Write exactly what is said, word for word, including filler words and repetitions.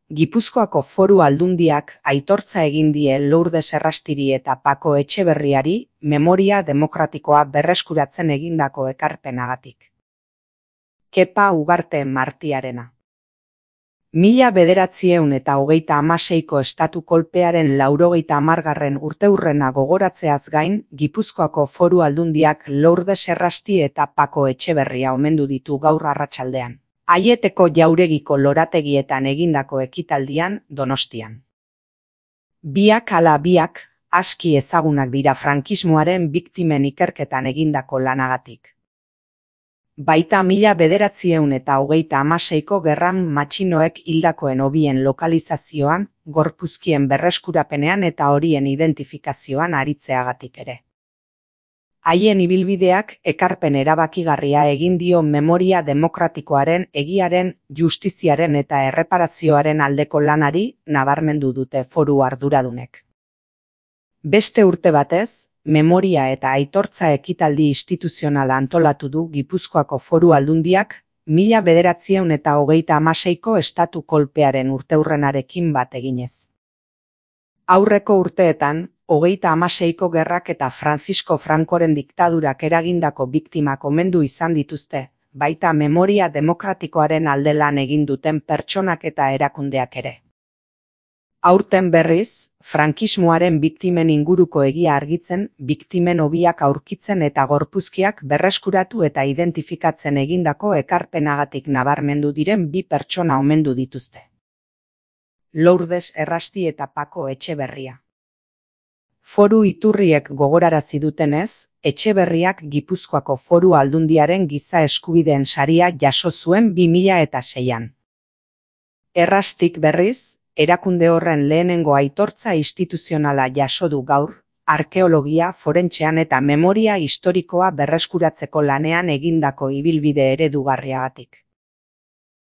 Gipuzkoako Foru Aldundiak aitortza egin die Lourdes Errastiri eta Pako Etxeberriari memoria demokratikoa berreskuratzen egindako ekarpenagatik. Kepa Ugarte Martiarena. Mila bederatziehun eta hogeita hamaseiko estatu kolpearen laurogeita hamargarren urteurrena gogoratzeaz gain, Gipuzkoako Foru Aldundiak Lourdes Errasti eta Pako Etxeberria omendu ditu gaur arratsaldean. Aieteko jauregiko lorategietan egindako ekitaldian Donostian. Biak ala biak aski ezagunak dira frankismoaren biktimen ikerketan egindako lanagatik. Baita mila bederatziehun eta hogeita hamaseiko gerran matxinoek hildakoen hobien lokalizazioan, gorpuzkien berreskurapenean eta horien identifikazioan aritzeagatik ere. Haien ibilbideak ekarpen erabakigarria egin dio memoria demokratikoaren, egiaren, justiziaren eta erreparazioaren aldeko lanari nabarmendu dute foru arduradunek. Beste urte batez, memoria eta aitortza ekitaldi instituzionala antolatu du Gipuzkoako Foru Aldundiak mila bederatziehun eta hogeita hamaseiko estatu kolpearen urteurrenarekin bat eginez. Aurreko urteetan, hogeita hamaseiko gerrak eta Francisco Francoren diktadurak eragindako biktimak omendu izan dituzte, baita memoria demokratikoaren alde lan egin duten pertsonak eta erakundeak ere. Aurten berriz, frankismoaren biktimen inguruko egia argitzen, biktimen hobiak aurkitzen eta gorpuzkiak berreskuratu eta identifikatzen egindako ekarpenagatik nabarmendu diren bi pertsona omendu dituzte. Lourdes Errasti eta Pako Etxeberria. Foru iturriek gogorarazi dutenez, Etxeberriak Gipuzkoako Foru Aldundiaren giza eskubideen saria jaso zuen bi mila eta seian. Errastik berriz, erakunde horren lehenengo aitortza instituzionala jaso du gaur, arkeologia, forentsean eta memoria historikoa berreskuratzeko lanean egindako ibilbide eredugarriagatik.